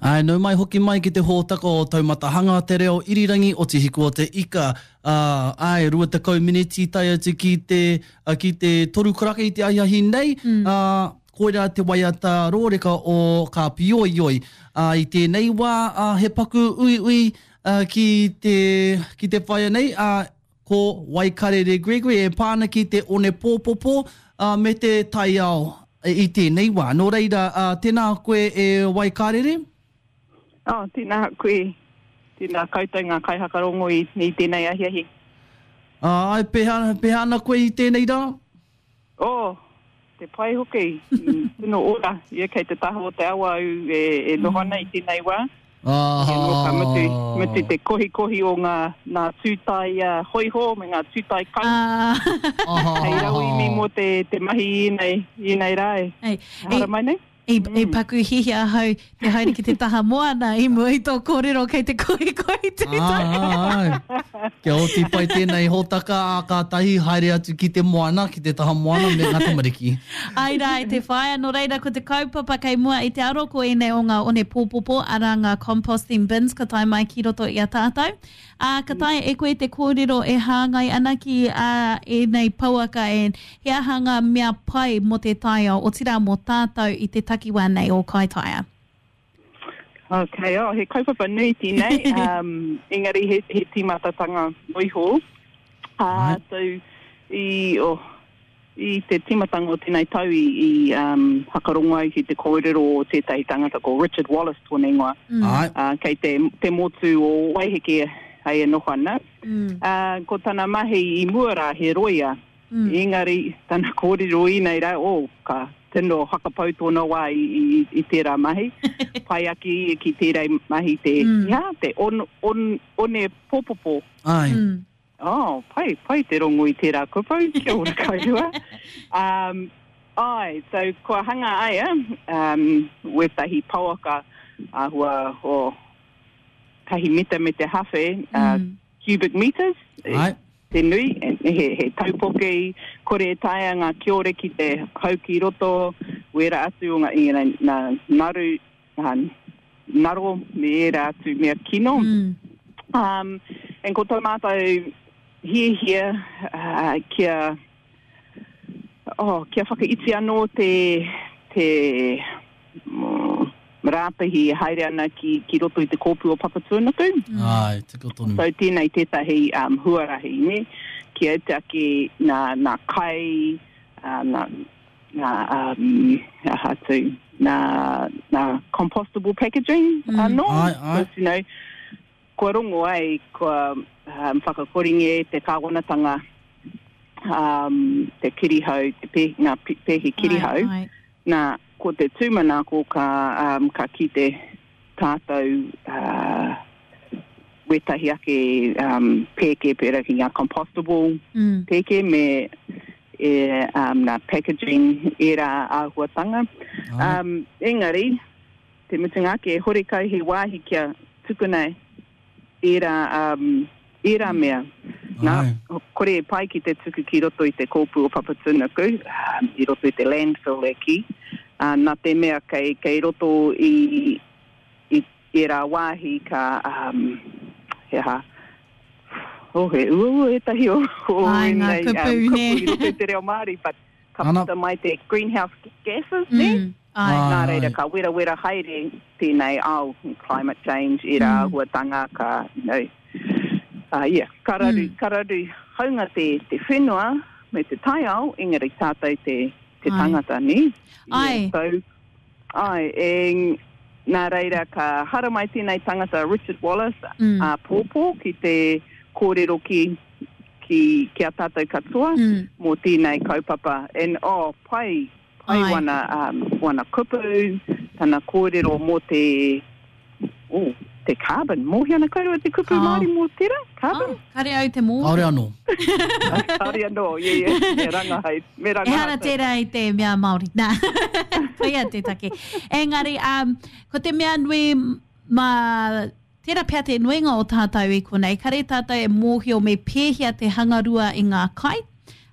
Āe, nau mai hoki mai ki te hōtaka o Taumata Hanga Te Reo Irirangi o Te Hiku o Te Ika. Ā, āe, 20 miniti tae atu ki te, ki te toru karaka i te ahiahi nei, ā, koirā te waiata rōreka o Ka Pīoioi. Ā, i tēnei wā, ā, he paku uiui, ā, ki te, ki te whaea nei, ā, Ko Waikarere Gregory e pā ana ki te onepōpopo me te taiao i tēnei wā. Nō reira, tēnā koe e Waikarere. Oh, tēnā koe. Tēnā koutou ngā kaihakarongo i, i tēnei ahiahi. Āe, pēhea, pēhea ana koe i tēnei rā? Oh, te pai hoki, tino ora, ia kei te taha o te awa au e, e noho ana i tēnei wā. Ah. Anō ka mutu, mutu te kohikohi o ngā, ngā tūtai uh, hoiho me ngā tūtai kau. Ah. Hei rauemi mō te, te mahi i ēnei, i ēnei rā e. Ei, Haramai nei. I, i paku hihia ahau te haere ki te taha moana i mua i tō kōrero kei te kohikohi tūtai. Ā, āe. Kia oti pai tēnei hōtaka, ā, kātahi haere atu ki te moana, ki te taha moana me ngā tamariki. Āe rā e te whaea, nō reira ko te kaupapa kei mua i te aro ko ēnei o ngā one pōpopo, arā ngā composting bins ka tae mai ki roto i a tātou. Ā, ka taea e koe te kōrero e hāngai ana ki ā ēnei pouaka e he aha ngā mea pai mō te taiao, otirā mō tātou i te takiwā nei o Kaitaia? Ok, oh, he kaupapa nui tēnei, um, engari he, he tīmatatanga noiho. Uh, so, i, oh, I te tīmatanga o tēnei tau i, i um, whakarongo au ki te kōrero o tētahi tangata ko Richard Wallace tōna ingoa. Mm. Uh, kei te, te motu o Waiheke hei e noho ana. Mm. Uh, ko tana mahi i mua rā he roia. Mm. Engari tana kōrero inei rā, oh, ka tino whakapau tōna wā i, i, i tērā mahi. Pai ake ia ki tērā mahi te, mm. yeah, te on, on, one popopo. Ai. Mm. Oh, pai, pai te rongo i tērā kupu, kia ora kōrua. Um, ai, so kua hanga aia um, wētahi pouaka āhua o tahi mita me te hawhe, uh, mm. cubic meters, Ai. te nui, he, he taupoke, kore e taea ngā kiore ki te hau ki roto, wera atu o ngā, you know, nā naru, uh, ngaro me ērā atu mea kino. Mm. Um, and ko tō mātou hiahia uh, kia, oh, kia whakaiti anō te, te mm, rāpihi e haere ana ki, ki roto i te kōpū o Papatūānuku. Mm. Ai, tika tonu. So tēnei tētahi um, huarahi, ne? Kia iti ake nā, nā kai, uh, nā, nā, um, aha atu, nā, nā compostable packaging Mm. anō. Ai, ai. Because, you know, kua rongo ai, kua um, whakakoringia e te kāwanatanga um, te kirihau, te pē, ngā pēhi kirihau. Ai, ai. Nā, ko te tūmanako ka, um, ka kite tātou uh, wētahi ake um, pēke pērā ki ngā compostable mm. pēke me e, um, nā packaging ērā āhuatanga. Um, engari, te mutunga ake, horekau he wāhi kia tukuna ērā, um, ērā mea. Nā, kore e pai ki te tuku ki roto i te kōpū o Papatūānuku, um, i roto i te landfill e kī, uh, nā te mea kei, kei roto i, i ērā wāhi ka, um, he aha, oh, he uaua ētahi o, o Ai, ngā ēnei, kupu, um, nē. kupu i roto i te reo Māori, but ka Ana. puta mai te greenhouse gases, nē? Mm, ai. Ai. Nā reira, ka werawera haere tēnei ao, climate change, ērā Mm. āhuatanga, ka, you know, uh, yeah, ka raru, Mm. ka raru haunga te, te whenua me te taiao, engari tātou te, te Ai. tangata, nē? Ai. Yeah, so, ai, e, nā reira, ka haramai tēnei tangata Richard Wallace Mm. āpōpō ki te kōrero ki, ki, ki a tātou katoa Mm. mō tēnei kaupapa. And, oh, pai, pai Ai. wana, um, wana kupu, tana kōrero mō te, oh, te carbon. Mōhio ana koutou te kupu Oh. Māori mō tērā? Carbon? Oh, kare au te mōhio. Kāore anō. Kāore anō, yeah, yeah. Me rangahau, me rangahau. Ehara tērā i te mea Māori. Nā, koia te take. Engari, um, ko te mea nui mā Tērā pea te nuinga o tātou i konei, kare tātou e mōhio me pēhea te hangarua i ngā kai.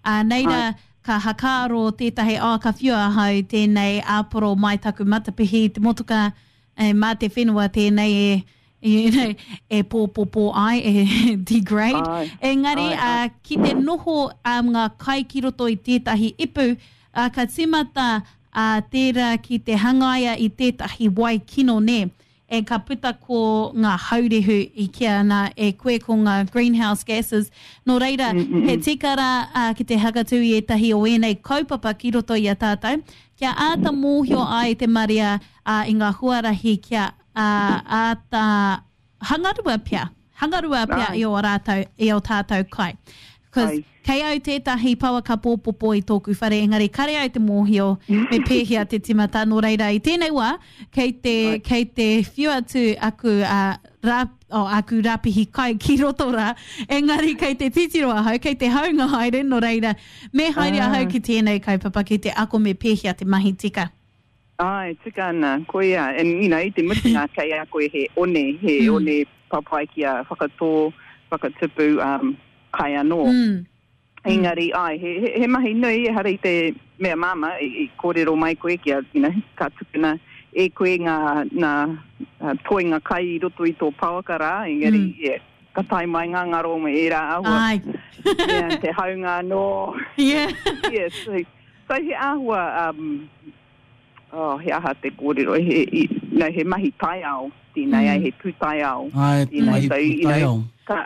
Ā, nei rā, ka hakaaro tētahi, oh, ka whiua ahau tēnei āporo mai taku matapihi i te motoka, E, mā te whenua tēnei e, you know, e pōpopo ai, e degrade. Ai. Engari, ai, ai. Uh, ki te noho um, ngā kai ki roto i tētahi ipu, uh, ka tīmata uh, tērā ki te hangaia i tētahi wai kino, nē. E ka puta ko ngā haurehu i kīa ana e koe ko ngā greenhouse gases. Nō reira, he tika rā ki te hakatū i ētahi o ēnei kaupapa ki roto i a tātou, kia āta mōhio ai te marea i ngā huarahi kia āta hangarua pea, hangarua pea i ō rātou, i ō tātou kai. Because kei au tētahi pouaka pōpopo i tōku whare, engari kare au te mōhio me pēhea te timata, nō reira i tēnei wā, kei te, kei te whiu atu aku, uh, rā, oh, aku rāpihi kai ki roto rā, engari kei te titiro ahau, kei te haunga haere, nō reira, me haere ahau ki tēnei kaupapa ki te ako me pēhea te mahi tika. Āe, tika ana, koia, and you know, i te mutunga kei a koe he one, he mm. one papai kia whakatō, whakatupu um, kai anō. Mm. Engari, āe, he, he, he mahi nui, ehara i te mea māmā, i, i kōrero mai koe kia, you know, ka tukuna e koe ngā, ngā uh, toenga kai i roto i tō pouaka rā, engari, mm. yeah, ka tae mai ngā ngaro me ērā āhua. Ai. yeah, te haunga anō. Yeah. yeah, so, so he āhua, um, oh, he aha te kōrero, he, he, no, he mahi taiao tēnei, mm. he pūtaiao. Ai, tēnei. mahi so, pūtaiao. You know, ka,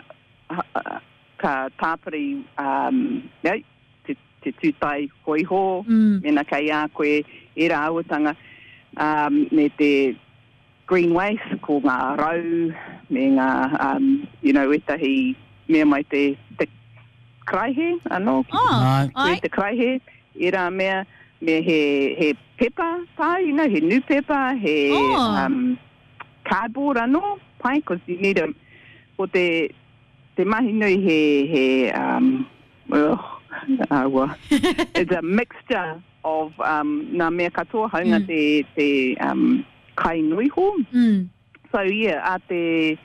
ka tāpiri um, you know, te, te tūtai hoiho, mm. mena kei a koe, ērā āhuatanga, um, me te green waste, ko ngā rau, me ngā, um, you know, ētahi mea mai te, te karaihe anō, ki oh, ai. te karaihe, ērā mea, me he, he pepa tā, you know, he nūpepa, he oh. um, cardboard anō, pai, cause you need a, ko te, te mahi nui he, he, um, oh, aua, it's a mixture of um, ngā mea katoa, haunga mm. te, te um, kai noiho. Mm. So yeah, a te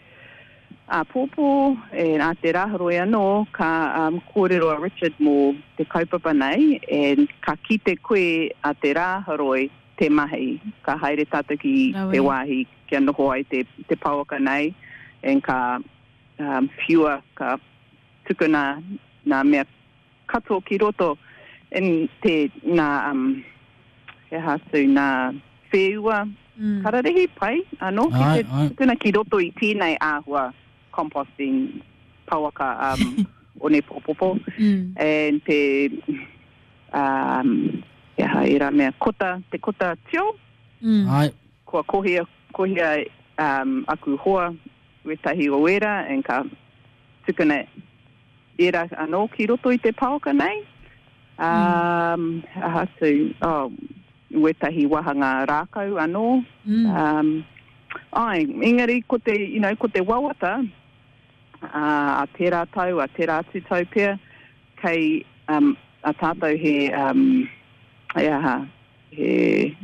āpōpō, and a te Rāhoroi anō, ka um, kōrero a Richard mō te kaupapa nei, and ka kite koe a te Rāhoroi te mahi. Ka haere tātou ki Rawe. te wāhi kia noho ai te, te pouaka nei, and ka um, whiua, ka tukuna ngā mea katoa ki roto in te nā um, he aha atu, nā whēua mm. kararehe pai anō ki te tukuna ki roto i tēnei āhua composting pouaka um, onepōpopo mm. and te um, he aha ērā mea, kota, te kota tio. Mm. Ai. Kua kohia, kohia um, aku hoa wētahi o ērā and ka tukuna ērā anō ki roto i te paoka nei. Um, aha atu, oh, wētahi wāhanga rākau anō. Mm. Um, ai, engari ko te, you know, ko te wawata, uh, a tērā tau, a tērā atu tau pea, kei um, a tātou he, um, he aha, he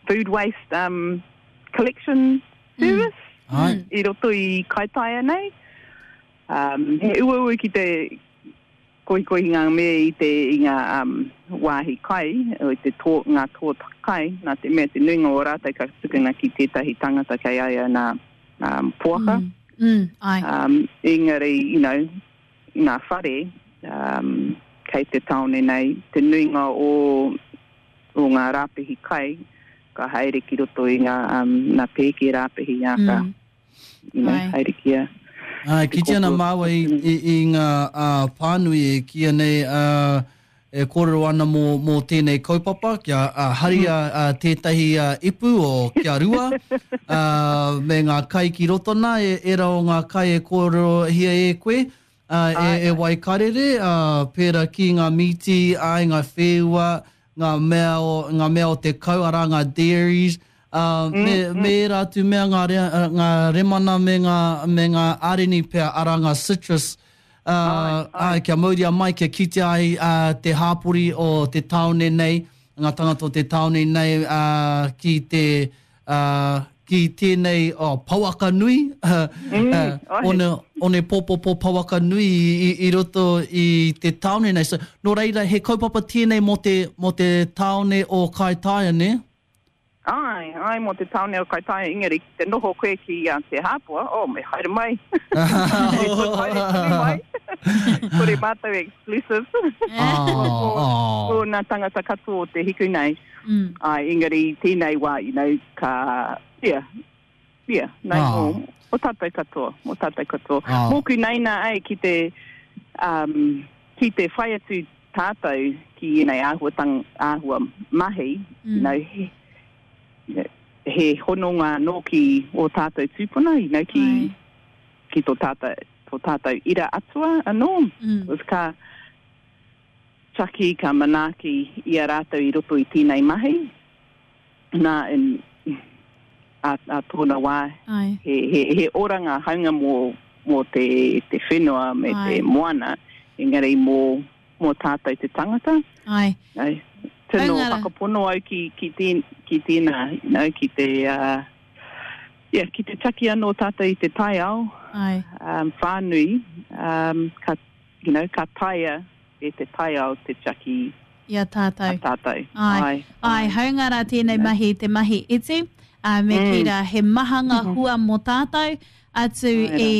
food waste um, collection service mm. i roto i Kaitaia nei. Um, he uaua ki te kohikohi ngā mea i te i ngā um, wāhi kai, o te tō, ngā tō kai, nā te mea te nuinga o rātou ka tukuna ki tētahi tangata kei a ia nā um, poaka. Mm, mm, ai. Um, engari, you know, ngā whare um, kei te tāone nei, te nuinga o, o ngā rāpihi kai, ka haere ki roto i ngā, um, ngā pēke rāpihi, ā, ka, mm. you know, Ai. haere ki a Ā, e kite ana māua i, i, i ngā ā, pānui e kīia nei ā, e kōrero ana mō, mō tēnei kaupapa, kia ā, haria ā, tētahi ā, ipu o kia rua, ā, me ngā kai ki roto nā, e, ērā o ngā kai e kōrerohia e koe, ā, e, e Waikarere, ā, pērā ki ngā mīti, āe, ngā whēua, ngā mea o, ngā mea o te kau, arā ngā dairies, ā, me, me ērā atu mea, ngā, rea, ngā remana me ngā, me ngā āreni pea, arā ngā citrus, ā, āe, kia mauria mai, kia kitea ai, ā, te hāpori o te tāone nei, ngā tangata o te tāone nei, ā, ki te, ā, ki tēnei oh, pouaka nui, mm, one, one pōpopo pouaka nui i, i, i roto i te tāone nei. So, nō reira, he kaupapa tēnei mō te, mō te tāone o Kaitaia, nē? Āe, āe mō te tāone o Kaitaia, engari ki te noho koe ki a Te Hāpua, oh, me haere mai. Me haere tonu mai. Kore mātou exclusive. Oh, oh. Nā tangata katoa o te hiku nei. Mm. Āe, engari tēnei wā, you know, ka, yeah, yeah, nei, oh. mō, mō tātou katoa, mō tātou katoa. Oh. Mōku nei nā, ai, ki te, um, ki te whai atu tātou ki ēnei āhuatanga, āhua mahi, mm. you know, he, he hononga anō ki ō tātou tūpuna, you know, ki, Ai. ki tō tātou, tō tātou ira atua anō. Mm. Ka tiaki, ka manaaki i a rātou i roto i tēnei mahi. Nā, in, a, a tōna wā, he, he, he oranga haunga mō, mō te, te whenua me Ai. te moana, engari mō, mō tātou te tangata. Ai. No, tino whakapono au ki, ki, tēn, ki tēnā, you know, ki te, uh, yeah, ki te taki anō tātou i te taiao Ai. um, whānui, um, ka, you know, ka taea e te taiao te tiaki I a tātou. A tātou. Āe. Āe. Āe, hāunga rā tēnei mahi, te mahi iti, ā, me kī rā, he maha ngā hua mō tātou, atu i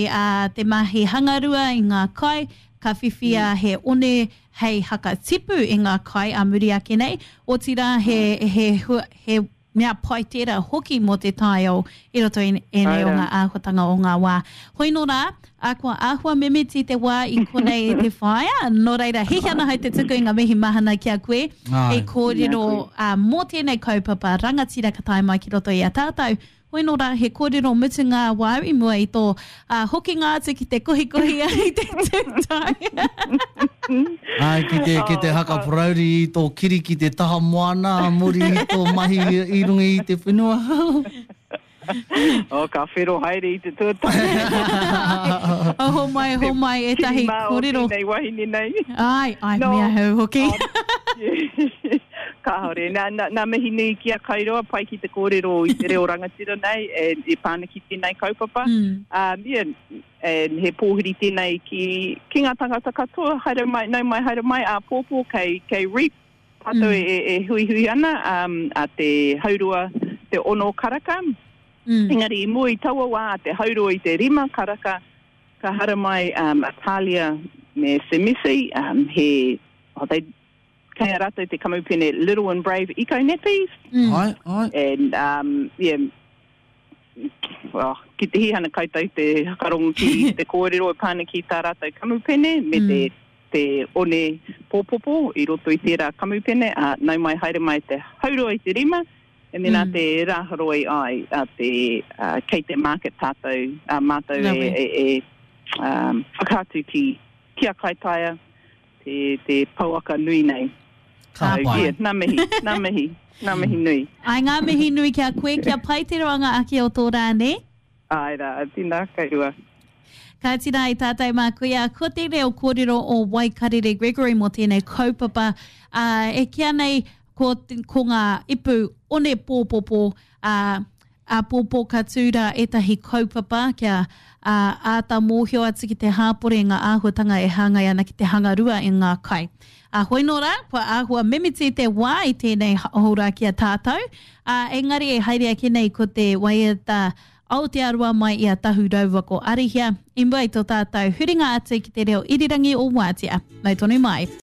te mahi hangarua i ngā kai, ka whiwhia he one hei hakatipu i ngā kai ā muri ake nei, otirā he, he hua, he Mea pai tērā hoki mō te taiao i roto i ēnei o ngā āhuatanga o ngā wā. Hoi nō rā, ā, kua āhua mimiti te wā i konei e te whaea, nō reira, hihi ana hau te tuku i ngā mihi mahana ki a koe i kōrero mō tēnei kaupapa rangatira ka tae mai ki roto i a tātou. Hoi nō rā, he kōrero mutunga wāu i mua i tō hokinga atu ki te kohikohi i te tūtai. Āe, ki te, ki te haka parauri i tō kiri ki te taha moana a muri i tō mahi i runga i te whenua. Oh, ka whero haere i te tuatahi. Oh, homai, homai ētahi kōrero. Kiri mā o tēnei wahine nei. Āe, āe, no. me ahau hoki. Kāore. Nā, nā, nā mihi nui ki a Kairoa, pai ki te kōrero i te reo rangatira nei, and e pā ana ki tēnei kaupapa. Mm. Um, yeah, and he pōhiri tēnei ki, ki ngā tangata katoa, haere mai, nau mai, haere mai, āpōpō, kei, kei REAP, tātou mm. e, e huihui ana, um, a te haurua, te ono karaka. Mm. Engari, i mua i taua wā, a te haurua i te rima karaka, ka haramai um, a Talia me Semisi, um, he, oh, they, Kei a ratou te kamupene Little and Brave Eco Nappies. Mm. Ai, ai. And, um, yeah, well, ki te hihana koutou te whakarongo ki te kōrero e pā ana ki tā rātou kamupene me mm. te, te one pōpopo i roto i tērā kamupene, ā, nau mai haere mai te haurua i te rima, and then mm. a te rāhoroi ai, a te, uh, kei te market tātou, a mātou e, e, e um, whakaatu ki, ki a Kaitaia, te, te pouaka nui nei. Ka pai. Yeah, nā mihi, nā mihi, nā mihi nui. Ai, ngā mihi nui ki a koe, kia pai te roanga ake o tō rā, nē? Āe rā, tēnā kōrua. Kāti rā i tātou mā kuia, ko te reo kōrero o Waikarere Gregory mō tēnei kaupapa, ā, e kīa nei ko, ko ngā ipu one pōpopo, ā, Āpōpō ka tū rā ētahi kaupapa kia āta mōhio atu ki te hāpori i ngā āhuatanga e hāngai ana ki te hangarua i ngā kai. Ā, hoi nō rā, kua āhua mimiti te wā i tēnei hōra ki a tātou, ā, engari e haere ake nei ko te waiata Aotearoa mai i a Tahu raua ko Arihia, i mua i tō tātou huringa atu ki te reo irirangi o Wātea. Mau tonu mai.